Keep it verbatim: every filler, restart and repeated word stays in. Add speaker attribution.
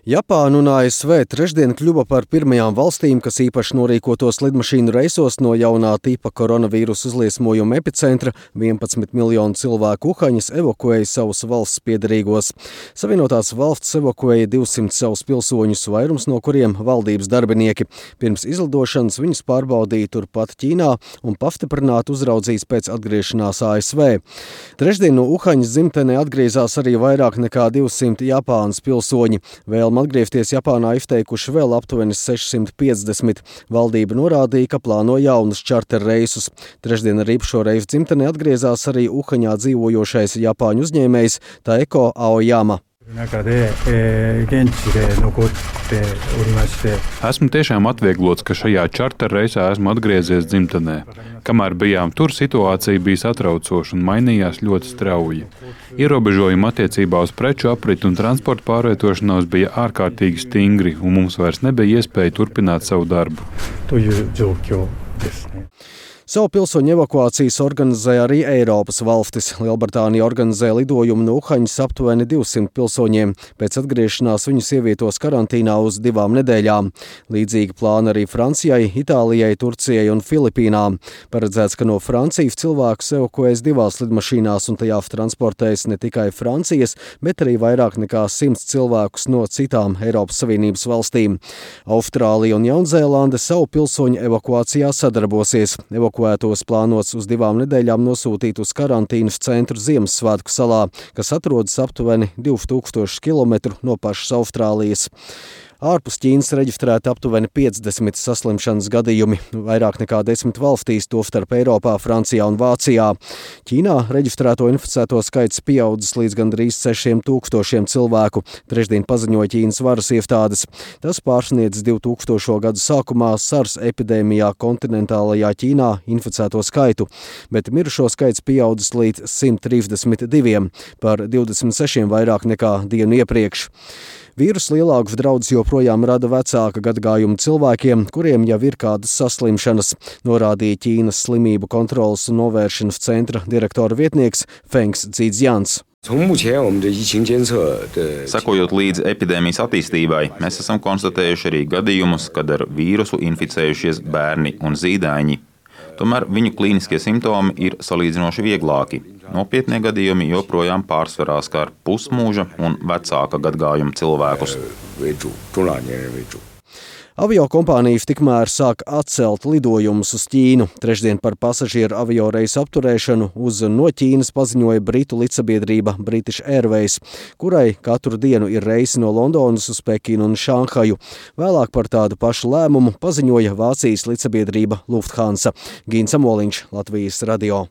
Speaker 1: Japāna un A S V trešdien kļuva par pirmajām valstīm, kas īpaši norīkotos lidmašīnu reisos no jaunā tipa koronavīrusa uzliesmojuma epicentra. vienpadsmit miljonu cilvēku Uhaņas evakuēja savus valsts piederīgos. Savienotās valstis evakuēja divsimt savus pilsoņus, vairums no kuriem valdības darbinieki. Pirms izlidošanas viņus pārbaudīja turpat Ķīnā un pastiprināti uzraudzīts pēc atgriešanās A S V. Trešdien no Uhaņas dzimtenē atgriezās arī vairāk nekā divsimt Japānas pilsoņi. Vēlme atgriezties Japānā izteikuši vēl aptuveni sešsimt piecdesmit. Valdība norādīja, ka plāno jaunus čarter reisus. Trešdien arī šo reisu dzimtenē atgriezās arī Uhaņā dzīvojošais Japāņu uzņēmējs Taeko Aoyama.
Speaker 2: Esmu tiešām atvieglots, ka šajā čarter reisā esmu atgriezies dzimtenē. Kamēr bijām tur, situācija bija satraucoša un mainījās ļoti strauji. Ierobežojumi attiecībā uz preču apriti un transporta pārvietošanos bija ārkārtīgi stingri, un mums vairs nebija iespēja turpināt savu darbu.
Speaker 1: Savu pilsoņu evakuācijas organizē arī Eiropas valstis. Lielbritānija organizē lidojumu no Uhaņas aptuveni divsimt pilsoņiem. Pēc atgriešanās viņus ievietos karantīnā uz divām nedēļām. Līdzīgi plāni arī Francijai, Itālijai, Turcijai un Filipīnām. Paredzēts, ka no Francijas cilvēkus evakuēs divās lidmašīnās un tajā transportēs ne tikai Francijas, bet arī vairāk nekā simts cilvēkus no citām Eiropas Savienības valstīm. Austrālija un Jaunzēlande savu pilsoņu evakuācijā sadarbosies. Evakuētos plānots uz divām nedēļām nosūtīt uz karantīnas centru Ziemassvētku salā, kas atrodas aptuveni divi tūkstoši kilometru no pašas Austrālijas. Ārpus Ķīnas reģistrēti aptuveni piecdesmit saslimšanas gadījumi, vairāk nekā desmit valstīs, tostarp Eiropā, Francijā un Vācijā. Ķīnā reģistrēto inficēto skaits pieaudzis līdz gandrīz sešiem tūkstošiem cilvēku, trešdien paziņoja Ķīnas varas iestādes. Tas pārsniedz divtūkstošo gadu sākumā SARS epidēmijā kontinentālajā Ķīnā inficēto skaitu, bet mirušo skaits pieaudzis līdz simt trīsdesmit diviem, par divdesmit sešiem vairāk nekā dienu iepriekš. Vīrusu lielākus draudus joprojām rada vecāka gadagājuma cilvēkiem, kuriem jau ir kādas saslimšanas, norādīja Ķīnas slimību kontrolas un novēršanas centra direktora vietnieks Fengs Dzīdzjans.
Speaker 3: Sekojot līdzi epidēmijas attīstībai, mēs esam konstatējuši arī gadījumus, kad ar vīrusu inficējušies bērni un zīdaiņi. Tomēr viņu klīniskie simptomi ir salīdzinoši vieglāki. Nopietnie gadījumi joprojām pārsvarā skar pusmūža un vecāka gadagājuma cilvēkus.
Speaker 1: Aviokompānijas tikmēr sāk atcelt lidojumus uz Ķīnu. Trešdien par pasažieru avioreisu apturēšanu uz no Ķīnas paziņoja britu lidsabiedrība British Airways, kurai katru dienu ir reisi no Londonas uz Pekinu un Šanhaju. Vēlāk par tādu pašu lēmumu paziņoja Vācijas lidsabiedrība Lufthansa. Gīns Amoliņš, Latvijas radio.